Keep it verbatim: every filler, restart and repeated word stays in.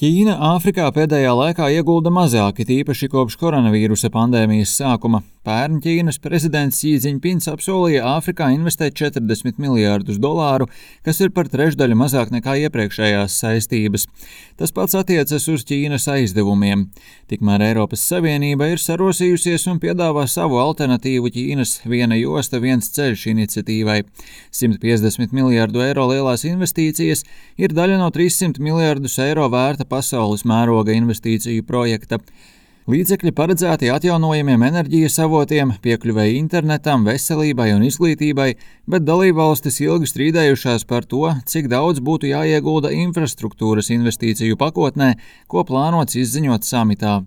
Ķīna Āfrikā pēdējā laikā iegulda mazāk, it īpaši kopš koronavīrusa pandēmijas sākuma. Pērn Ķīnas prezidents Xi Jinpings apsolīja Āfrikā investēt četrdesmit miljārdus dolāru, kas ir par trešdaļu mazāk nekā iepriekšējās saistības. Tas pats attiecas uz Ķīnas aizdevumiem. Tikmēr Eiropas Savienība ir sarosījusies un piedāvā savu alternatīvu Ķīnas viena josta, viens ceļš iniciatīvai. simt piecdesmit miljārdu eiro lielās investīcijas ir daļa no trīssimt miljārdus eiro vērta pasaules mēroga investīciju projekta. Līdzekļi paredzēti atjaunojamiem enerģijas avotiem, piekļuvēji internetam, veselībai un izglītībai, bet dalībvalstis ilgi strīdējušās par to, cik daudz būtu jāiegulda infrastruktūras investīciju pakotnē, ko plānots izziņot samitā.